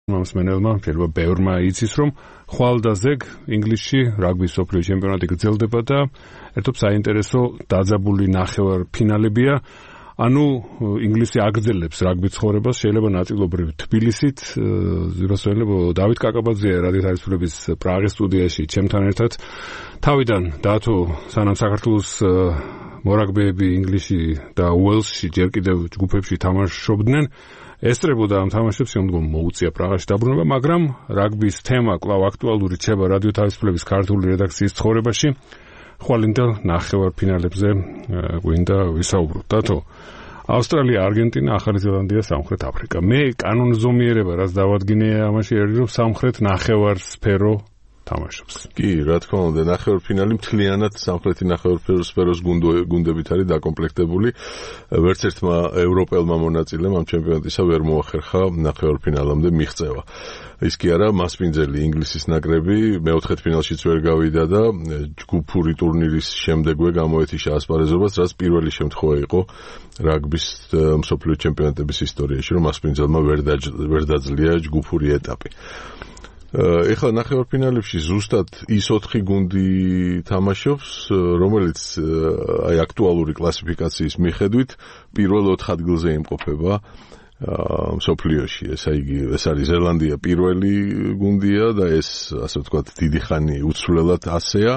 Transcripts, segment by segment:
მომსმენელმა შეიძლება ბევრმა იცის, რომ ხვალ და ზეგ ინგლისში რაგბის მსოფლიო ჩემპიონატი გრძელდება და ერთობ საინტერესო დაძაბული ნახევარფინალებია. ანუ ინგლისი აგრძელებს რაგბის ცხოვრებას, შეიძლება ნაწილობრივ თბილისით, ზურასველებო დავით კაკაბაძე რადიო თავისუფლების პრაღის სტუდიაში ჩემთან ერთად. თავიდან დათო სანამ საქართველოს მორაგბეები ინგლისში და უელსში ჯერ კიდევ ჯგუფებში თამაშობდნენ, ესწრებოდა ამ თამაშებს, შემდგომ მოუწია პრაღაში დაბრუნება, მაგრამ რაგბის თემა კვლავ აქტუალური რჩება რადიო თავისუფლების ქართული რედაქციის ცხოვრებაში. ხვალინდა ნახევარფინალებზე გვინდა ვისაუბროთ. დათო, ავსტრალია, არგენტინა, ახალი ზელანდია, სამხრეთ აფრიკა. მე კანონზომიერება რაც დავადგინე ამაში არის, რომ სამხრეთ ნახევარსფერო თამაშობს. კი, რა თქმა უნდა, ნახევარფინალი მთლიანად სამხრეთი ნახევარსფეროს გუნდებით არის დაკომპლექტებული. ვერც ერთმა ევროპელმა მონაწილემ ამ ჩემპიონატისა ვერ მოახერხა ნახევარფინალამდე მიღწევა. ის კი არა, მასპინძელი ინგლისის ნაკრები მეოთხედფინალშიც ვერ გავიდა და ჯგუფური ტურნირის შემდეგვე გამოეთიშა ასპარეზობას, რაც პირველი შემთხვევა იყო რაგბის მსოფლიო ჩემპიონატების ისტორიაში, რომ მასპინძელმა ვერ დაძლია ჯგუფური ეტაპი. ეხლა ნახევარფინალებში ზუსტად ის 4 გუნდი თამაშობს, რომელიც აი აქტუალური კლასიფიკაციის მიხედვით პირველ 4 ადგილზე იმყოფება მსოფლიოში. ეს არის ზელანდია პირველი გუნდია და ეს ასე ვთქვათ დიდი ხანი უცვლელად ასეა.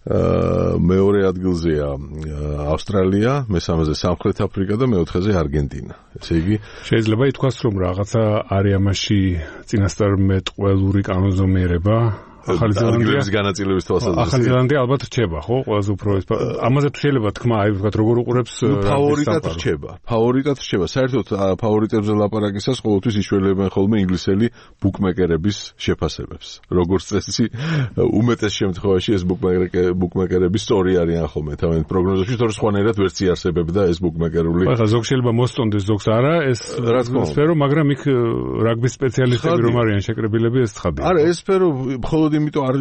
მეორე ადგილზეა ავსტრალია, მესამეზე სამხრეთ აფრიკა და მეოთხეზე არგენტინა. ესე იგი შეიძლება ითქვას, რომ რაღაცა არის ამაში წინასწარმეტყველური კანონზომიერება. ახალი ზელანდიის განაწილების თვალსაზრისით. ახალი ზელანდია ალბათ რჩება, ხო? ყველაზე უფრო ეს. ამაზე თუ შეიძლება თქვა, აი ვთქვათ, როგორ უყურებს ფავორიტად რჩება. ფავორიტად რჩება. საერთოდ ფავორიტებზე ლაპარაკისას ყოველთვის იშველებენ ხოლმე ინგლისელი ბუკმეკერების შეფასებებს. როგორც წესი, უმეტეს შემთხვევაში ეს ბუკმეკერები სწორი არიან ხოლმე თავიანთ პროგნოზებში, თორე სხვანაირად ვერც იარსებებდა ეს ბუკმეკერული. ახლა ზოგ შეიძლება მოსწონდეს, ზოგს არა, ეს სფერო, მაგრამ იქ რაგბის სპეციალისტები რომ არიან შეკრებილები, ეს ცხადია. არა, ეს სფერო მხოლოდ იმიტომ არ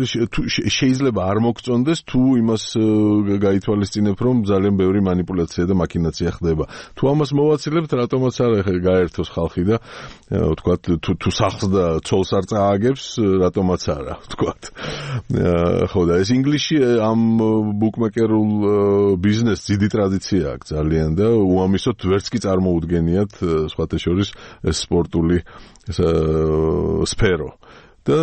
შეიძლება არ მოგწონდეს, თუ იმას გაითვალისწინებ, რომ ძალიან ბევრი манипуляცია და მაქინაცია ხდება. თუ ამას მოვაცილებთ, რატომაც არა გაერთოს ხალხი და ვთქვათ, თუ სახლს და ცოლს არ წააგებს, რატომაც არა, ვთქვათ. ხო და ეს ინგლისში ამ ბუკმეკერულ ბიზნესს დიდი ტრადიცია აქვს ძალიან და უამისოდ ვერც კი წარმოუდგენიათ სხვათა შორის სპორტული სფერო. და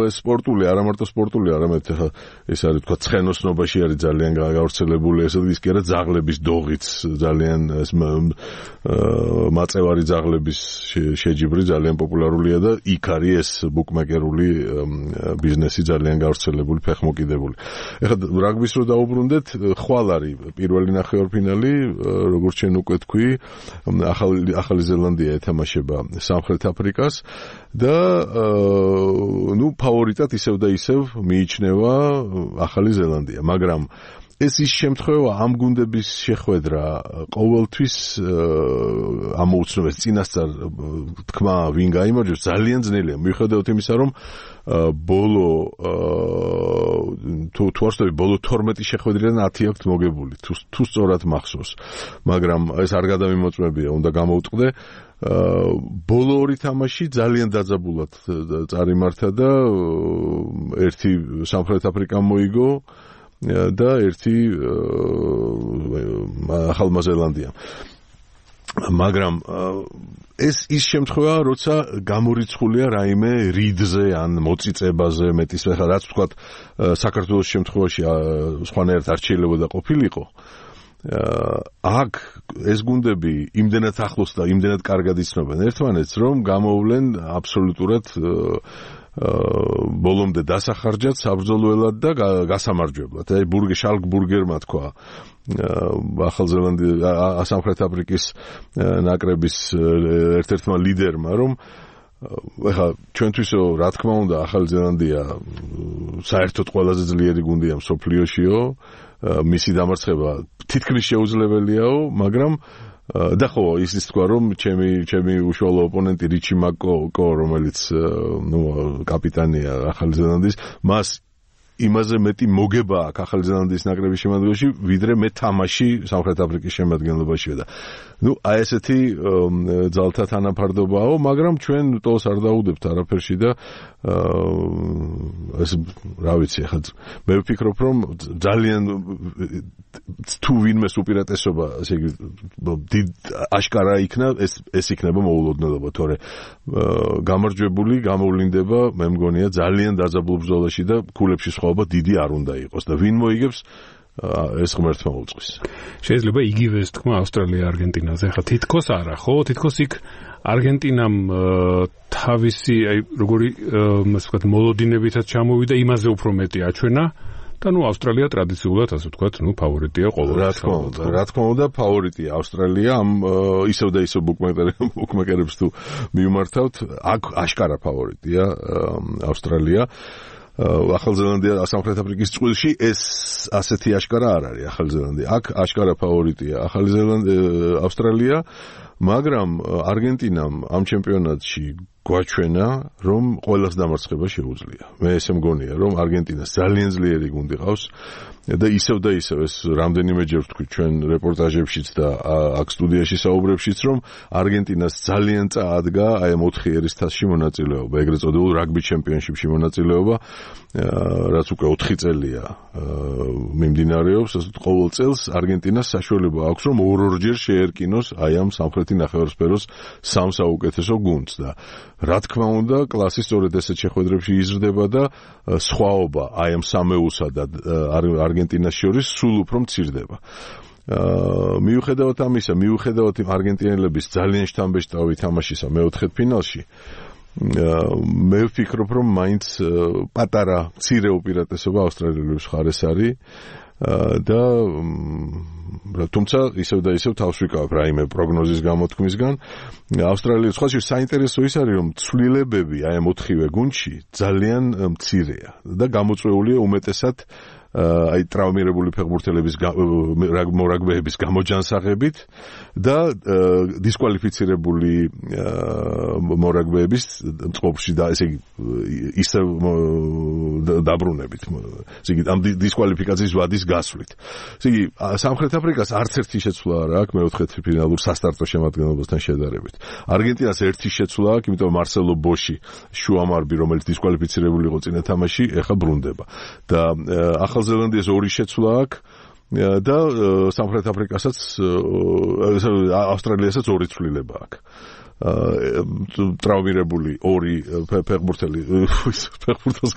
ეს სპორტული, არა მარტო სპორტული, არამედ ეს არის თქვა ცხენოსნობაში არის ძალიან გავრცელებული, ესე იგი კი არა ძაღლების დოღიც ძალიან ეს მაწევარი ძაღლების შეჯიბრი ძალიან პოპულარულია და იქ არის ეს ბუკმეკერული ბიზნესი ძალიან გავრცელებული, ფეხმოკიდებული. ეხლა რაგბის რო დაუბრუნდეთ, ხვალ არის პირველი ნახევარფინალი, როგორც შენ უკვე თქვი, ახალი ზელანდია ეთამაშება სამხრეთ აფრიკას და ფავორიტად ისევ და ისევ მიიჩნევა ახალი ზელანდია, მაგრამ ეს ის შემთხვევა ამ გუნდების შეხვედრა ყოველთვის ამოუცნობს წინასწარ თქმა ვინ გაიმარჯვებს ძალიან ძნელია მიუხედავად იმისა რომ ბოლო თუ არსებობს ბოლო 12 შეხვედრიდან 10 აქვს მოგებული თუ სწორად მახსოვს მაგრამ ეს არ გადამიმოწმებია უნდა გამოუტყდე ბოლო ორი თამაში ძალიან დაძაბულად წარიმართა და ერთი სამხრეთ აფრიკამ მოიგო და ერთი ახალმა ზელანდიამ მაგრამ ეს ის შემთხვევა როცა გამორიცხულია რაიმე რიდზე ან მოწიწებაზე მეტის ხა რაც ვთქვათ საქართველოს შემთხვევაში სხვანაირად არ შეიძლება ყოფილიყო აქ ეს გუნდები იმდენად ახლოს და იმდენად კარგად იცნობენ ერთმანეთს რომ გამოვლენ აბსოლუტურად ბოლომდე დასახარჯად საბრძოლველად და გასამარჯვებლად. აი შალკბურგერმა თქვა ახალ ზელანდიის სამხრეთ აფრიკის ნაკრების ერთ-ერთმა ლიდერმა რომ ეხლა ჩვენთვისო რა თქმა უნდა ახალი ზელანდია საერთოდ ყველაზე ძლიერი გუნდია მსოფლიოშიო მისი დამარცხება თითქმის შეუძლებელიაო მაგრამ და ხო ისიც თქვა რომ ჩემი უშუალო ოპონენტი რიჩი მაკო რომელიც კაპიტანია ახალი ზელანდიის მას იმაზე მეტი მოგება აქვს ახალი ზელანდიის ნაკრების შემადგენლობაში, ვიდრე მე თამაში სამხრეთ აფრიკის შემადგენლობაშია და აი ესეთი ძალთა თანაფარდობაა, მაგრამ ჩვენ ტოლს არ დაუდებთ არაფერში და ეს რა ვიცი, ახლა მე ვფიქრობ, რომ ძალიან თუ ვინმეს უპირატესობა, ესე იგი აშკარა იქნა, ეს იქნება მოულოდნელობა, თორე გამარჯვებული გამოვლინდება, მე მგონია ძალიან დაძაბულ ბრძოლაში და ქულებში სხვაობა დიდი არ უნდა იყოს და ვინ მოიგებს ეს ღმერთმა უწყვის. შეიძლება იგივეს თქმა ავსტრალია-არგენტინაზე, ხა თითქოს არა, ხო? თითქოს იქ არგენტინამ თავისი, აი როგორი ასე მოლოდინებითაც ჩამოვიდა, იმაზე უფრო მეტი აჩვენა და ავსტრალია ტრადიციულად ასე ვთქვათ, ფავორიტია ყოველთვის. რა თქმა უნდა, ფავორიტია ავსტრალია, ამ ისევ და ისევ ბუკმეკერებს თუ მიუმართავთ, აქ აშკარა ფავორიტია ავსტრალია. ახალ ზელანდია სამხრეთ აფრიკის წყვილში ეს ასეთი აშკარა არ არის ახალ ზელანდია. აქ აშკარა ფავორიტია ახალი ზელანდია, ავსტრალია, მაგრამ არგენტინამ ამ ჩემპიონატში გვაჩვენა, რომ ყველას დამარცხება შეუძლია. მე ესე მგონია, რომ არგენტინას ძალიან ძლიერი გუნდი ყავს და ისევ ეს რამდენიმეჯერ ვთქვი ჩვენ რეპორტაჟებშიც და აქ სტუდიაში საუბრებშიც, რომ არგენტინას ძალიან წაადგა აი ამ 4 ერისთასში მონაწილეობა, ეგრეთ წოდებულ რაგბი ჩემპიონშიპში მონაწილეობა, რაც უკვე 4 წელია მიმდინარეობს, ყოველ წელს არგენტინას საშუალება აქვს, რომ ორ-ორჯერ შეერკინოს აი ამ სამხრეთი ნახევარსფეროს სამ საუკეთესო გუნდს და რა თქმა უნდა, კლასი სწორედ ესეთ შეხვედრებში იზრდება და სხვაობა აი ამ სამეულსა და არგენტინას შორის სულ უფრო მცირდება. მიუხედავად ამისა, მიუხედავად არგენტინელების ძალიან შთამბეჭდავი თამაშისა მეოთხედფინალში, მე ვფიქრობ, რომ მაინც პატარა მცირე უპირატესობა ავსტრალიელების მხარეს არის და თუმცა ისევ და ისევ თავს ვიკავებ რაიმე პროგნოზის გამოთქმისგან. ავსტრალიის სხვაში საინტერესო ის არის, რომ ცვლილებები აი ამ 4-ვე გუნდში ძალიან მცირეა და გამოწვეულია უმეტესად აი ტრავმირებული ფეხბურთელების მორაგბეების გამოჯანსაღებით და დისკვალიფიცირებული მორაგბეების წყობაში და ესე იგი ისევ დაბრუნებით. ესე იგი ამ დისკვალიფიკაციის ვადის გასვლით. ესე იგი სამხრეთ აფრიკას არც ერთი შეცვლა არ აქვს მეოთხედფინალურ სასტარტო შემადგენლობასთან შედარებით. არგენტინას ერთი შეცვლა აქვს, იმიტომ მარსელო ბოში, შუამარბი, რომელიც დისკვალიფიცირებული იყო წინა თამაში, ეხლა ბრუნდება. და ახალ ზელანდიას 2 შეცვლა აქვს და სამხრეთ აფრიკასაც ავსტრალიასაც 2 ცვლილება აქვს. ტრავმირებული 2 ფეხბურთელს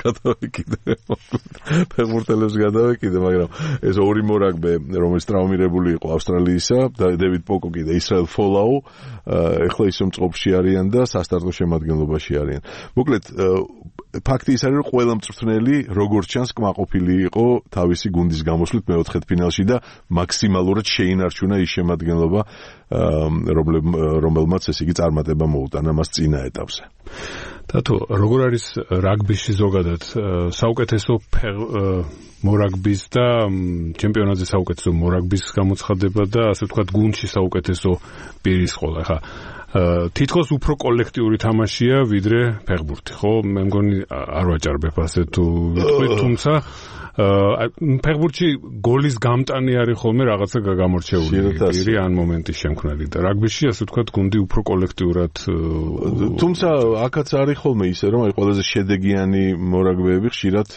გადავეკიდე, მაგრამ ეს 2 მორაგბე, რომელიც ტრავმირებული იყო ავსტრალიისა, დევიდ პოკოკი და ისრაელ ფოლაუ, ეხლა ისო მწყობში არიან და სასტარტო შემადგენლობაში არიან. მოკლედ, ფაქტი ის არის, რომ ყველა მწვრთნელი როგორც ჩანს კმაყოფილი იყო თავისი გუნდის გამოსვლით მეოთხედფინალში და მაქსიმალურად შეინარჩუნა ის შემადგენლობა, რომელმაც ესე იგი წარმატება მოუტანა მას წინა ეტაპზე. თათო, როგორ არის რაგბიში ზოგადად საუკეთესო მორაგბის და ჩემპიონატზე საუკეთესო მორაგბის გამოცხადება და ასე ვთქვათ გუნდში საუკეთესო პირის ყოლა. ხა თითქოს უფრო კოლექტიური თამაშია ვიდრე ფეხბურთი, ხო? მე მგონი არ ვაჭარბებ ასე თუ ვიტყვი, თუმცა ფეხბურთში გოლის გამტანი არის ხოლმე რაღაცა გამორჩეული პირი ან მომენტის შემქმნელი და რაგბიში ასე ვთქვათ გუნდი უფრო კოლექტიურად თუმცა აქაც არის ხოლმე ისე რომ აი ყველაზე შედეგიანი მორაგბეები ხშირად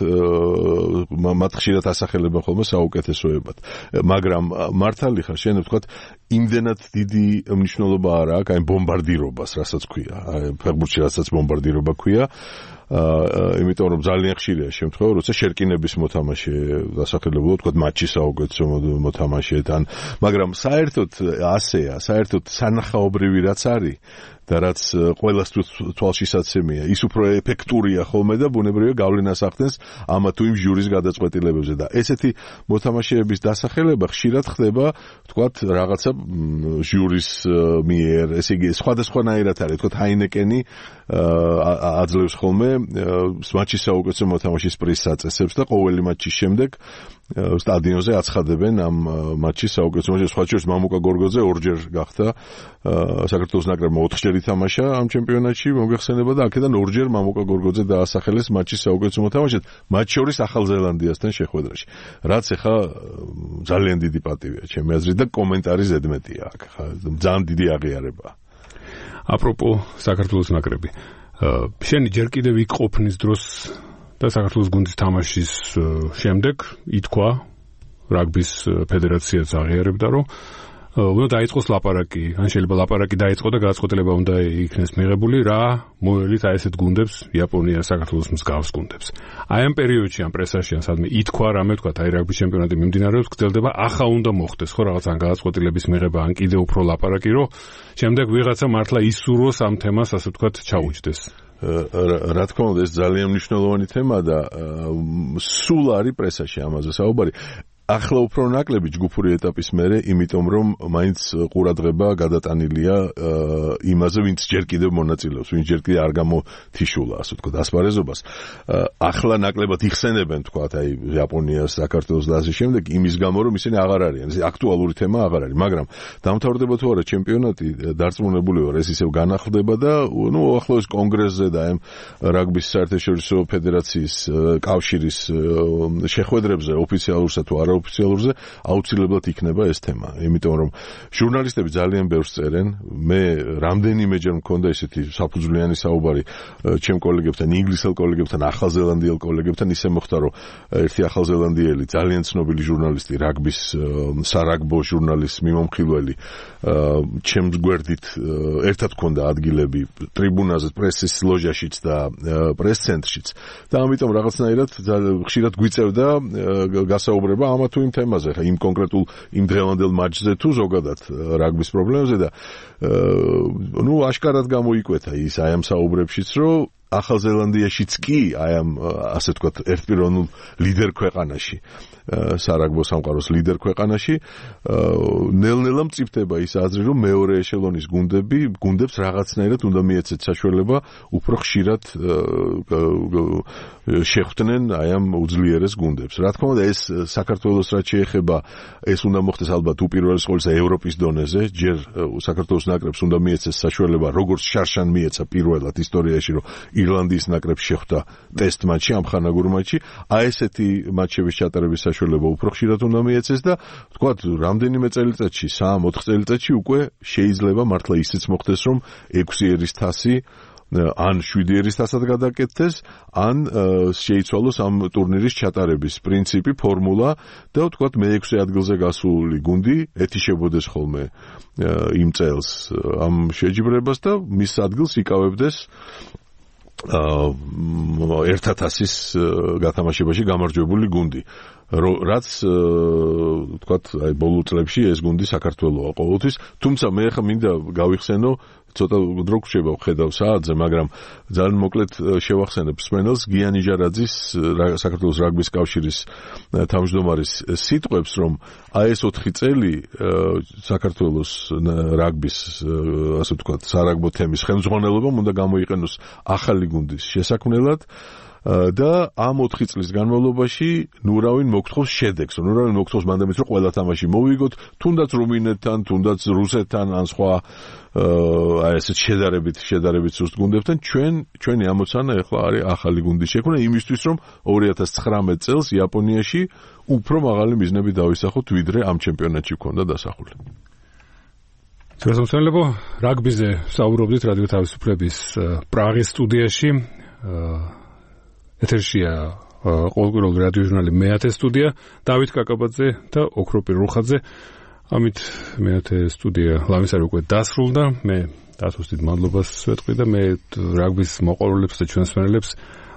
მათ ხშირად ასახელება ხოლმე საუკეთესოებად, მაგრამ მართალი ხარ შენ ვთქვათ იმდენად დიდი მნიშვნელობა არ აქვს აი ბომბარდირობას, რასაც ქვია, ფეხბურთში რასაც ბომბარდირობა ქვია, იმიტომ რომ ძალიან ხშირია შემთხვევა, როცა შერკინების მოთამაშე დასახელებულად ვთქვათ მატჩის საუკეთესო მოთამაშეთან, მაგრამ საერთოდ ასეა, საერთოდ სანახაობრივი რაც არის და რაც ყველას თვალშისაცემია, ის უფრო ეფექტურია ხოლმე და ბუნებრივია გავლენას ახდენს ამა თუ იმ ჟურის გადაწყვეტილებებზე და ესეთი მოთამაშეების დასახელება ხშირად ხდება, ვთქვათ, რაღაცა ჟურის მიერ, ესე იგი სხვადასხვანაირად არის, ვთქვათ, ჰაინეკენი აძლევს ხოლმე მატჩის საუკეთესო მოთამაშის პრიზს აწესებს და ყოველი მატჩის შემდეგ სტადიონზე აცხადებენ ამ მატჩის საუკეთესო მოთამაშეს. სხვა შორის მამუკა გორგოძე ორჯერ გახდა საქართველოს ნაკრებმა 4-ჯერ ითამაშა ამ ჩემპიონატში, მოგეხსენება და აქედან ორჯერ მამუკა გორგოძე დაასახელეს მატჩის საუკეთესო მოთამაშედ, მათ შორის ახალ ზელანდიასთან შეხვედრაში. რაც ეხა ძალიან დიდი პატივია ჩემი აზრით და კომენტარი ზედმეტია აქ. ძალიან დიდი აღიარება. აპროპო საქართველოს ნაკრები. შენი ჯერ კიდევ იქ ყოფნის დროს და საქართველოს გუნდის თამაშის შემდეგ ითქვა რაგბის ფედერაციაც აღიარებდა, რომ უნდა დაიწყოს ლაპარაკი, ან შეიძლება ლაპარაკი დაიწყო და გადაწყვეტილება უნდა იქნეს მიღებული, რა მოელით აი ესეთ გუნდებს, იაპონია, საქართველოს მსგავს გუნდებს. აი ამ პერიოდში, ამ პრესაში, ან სადმე ითქვა რამე თქვა, აი რაგბის ჩემპიონატი მიმდინარეობს, გრძელდება, ახლა უნდა მოხდეს, ხო, რაღაც ან გადაწყვეტილების მიღება, ან კიდევ უფრო ლაპარაკი, რომ შემდეგ ვიღაცა მართლა ისურვოს ამ თემას, ასე ვთქვათ, ჩაუჯდეს. რა თქმა უნდა, ეს ძალიან მნიშვნელოვანი თემა და სულ არის პრესაში ამაზე საუბარი. ახლა უფრო ნაკლები ჯგუფური ეტაპის მერე, იმიტომ რომ მაინც ყურადღება გადატანილია იმაზე, ვინც ჯერ კიდევ მონაწილეობს, ვინც ჯერ კიდევ არ გამოთიშულა, ასე ვთქვათ, ასპარეზობას. ახლა ნაკლებად იხსენებენ, თქვათ, აი იაპონიას, საქართველოს და ასე შემდეგ, იმის გამო, რომ ისინი აღარ არიან, აქტუალური თემა აღარ არის, მაგრამ დამთავრდება თუ არა ჩემპიონატი, დარწმუნებული ვარ, ეს ისევ განახლდება და უახლოეს კონგრესზე და ამ რაგბის საერთაშორისო ფედერაციის კავშირის შეხვედრებზე ოფიციალურსა თუ არა ოფიციალურზე აუცილებლად იქნება ეს თემა, იმიტომ რომ ჟურნალისტები ძალიან ბევრს წერენ, მე რამდენიმეჯერ მქონდა ესეთი საფუძვლიანი საუბარი ჩემ კოლეგებთან, ინგლისელ კოლეგებთან, ახალზელანდიელ კოლეგებთან, ისე მოხდა, რომ ერთი ახალზელანდიელი ძალიან ცნობილი ჟურნალისტი, რაგბის სარაგბო ჟურნალის მიმომხილველი, ჩემს გვერდით ერთად მქონდა ადგილები ტრიბუნაზე, პრესის ლოჟაშიც და პრეს-ცენტრშიც და ამიტომ რაღაცნაირად ხშირად გვიწევდა გასაუბრება ამ თუ იმ თემაზე, ხა იმ კონკრეტულ იმ დღევანდელ მატჩზე თუ ზოგადად რაგბის პრობლემებზე და აშკარად გამოიკვეთა ის აი ამ საუბრებშიც, რომ ახალზელანდიაშიც კი აი ამ ასე ვთქვათ ერთპიროვნულ ლიდერ ქვეყანაში, სარაგბო სამყაროს ლიდერ ქვეყანაში ნელ-ნელა მწიფდება ის აზრი, რომ მეორე ეშელონის გუნდებს რაღაცნაირად უნდა მიეცეთ საშუალება უფრო ხშირად შეხვდნენ აი ამ უძლიერეს გუნდებს. რა თქმა უნდა, ეს საქართველოს რაც შეეხება, ეს უნდა მოხდეს ალბათ უპირველეს ყოვლისა ევროპის დონეზე, ჯერ საქართველოს ნაკრებს უნდა მიეცეს საშუალება, როგორც შარშან მიეცა პირველად ისტორიაში, რომ ირლანდიის ნაკრებს შეხვდა ტესტ მატჩში, ამხანაგურ მატჩში, აი ესეთი მატჩების ჩატარების საშუალება უფრო ხშირად უნდა მიეცეს და ვთქვათ, რამდენიმე წელიწადში, 3-4 წელიწადში უკვე შეიძლება მართლა ისიც მოხდეს, რომ 6 ერის თასი ან 7 ერის თასად გადაკეთდეს, ან შეიცვალოს ამ ტურნირის ჩატარების პრინციპი, ფორმულა და ვთქვათ, მე-6 ადგილზე გასული გუნდი ეთიშებოდეს ხოლმე იმ წელს ამ შეჯიბრებას და მის ადგილს იკავებდეს ერთათასის გათამაშებაში გამარჯვებული გუნდი. რაც ვთქვათ, აი ბოლო წლებში ეს გუნდი საქართველოა ყოველთვის, თუმცა მე ხა მინდა გავიხსენო, ცოტა დრო გვჭირდება ვხედავ საათზე, მაგრამ ძალიან მოკლედ შევახსენებ მსმენელს გიანი ჟარაძის საქართველოს რაგბის კავშირის თავმჯდომარის სიტყვებს, რომ აი ეს 4 წელი საქართველოს რაგბის ასე ვთქვათ, სარაგბო თემის ხელმძღვანელობამ უნდა გამოიყენოს ახალი გუნდის შესაქმნელად და ამ 4 წლის განმავლობაში ნურავინ მოგთხოვს შედეგს, ნურავინ მოგთხოვს მანდამით, რომ ყველა თამაში მოვიგოთ, თუნდაც რუმინეთთან, თუნდაც რუსეთთან, ან სხვა აი ესეთ შედარებით სუსტ გუნდებთან, ჩვენი ამოცანა ახლა არის ახალი გუნდის შექმნა იმისთვის, რომ 2019 წელს იაპონიაში უფრო მაღალი მიზნები დავისახოთ, ვიდრე ამ ჩემპიონატში ქონდა დასახული. შესაძლოა რაგბიზე საუბრობდით რადიო თავისუფლების პრაღის სტუდიაში. ეთერშია ყოველკვირეული რადიო ჟურნალი მეათე სტუდია, დავით კაკაბაძე და ოქროპი რუხაძე. ამით მეათე სტუდია ლამისარი უკვე დასრულდა. მე დათოს დიდ მადლობას ვეთქვი და მე რაგბის მოყვარულებს და ჩვენს მსმენელებს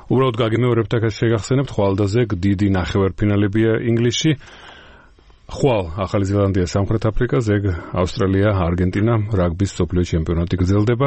უბრალოდ გაგიმეორებთ აქ შეგახსენებთ, ხვალდაზე დიდი ნახევარფინალებია ინგლისში. ხვალ ახალი ზელანდია, სამხრეთ აფრიკა, ზეგ ავსტრალია, არგენტინა რაგბის მსოფლიო ჩემპიონატი გრძელდება.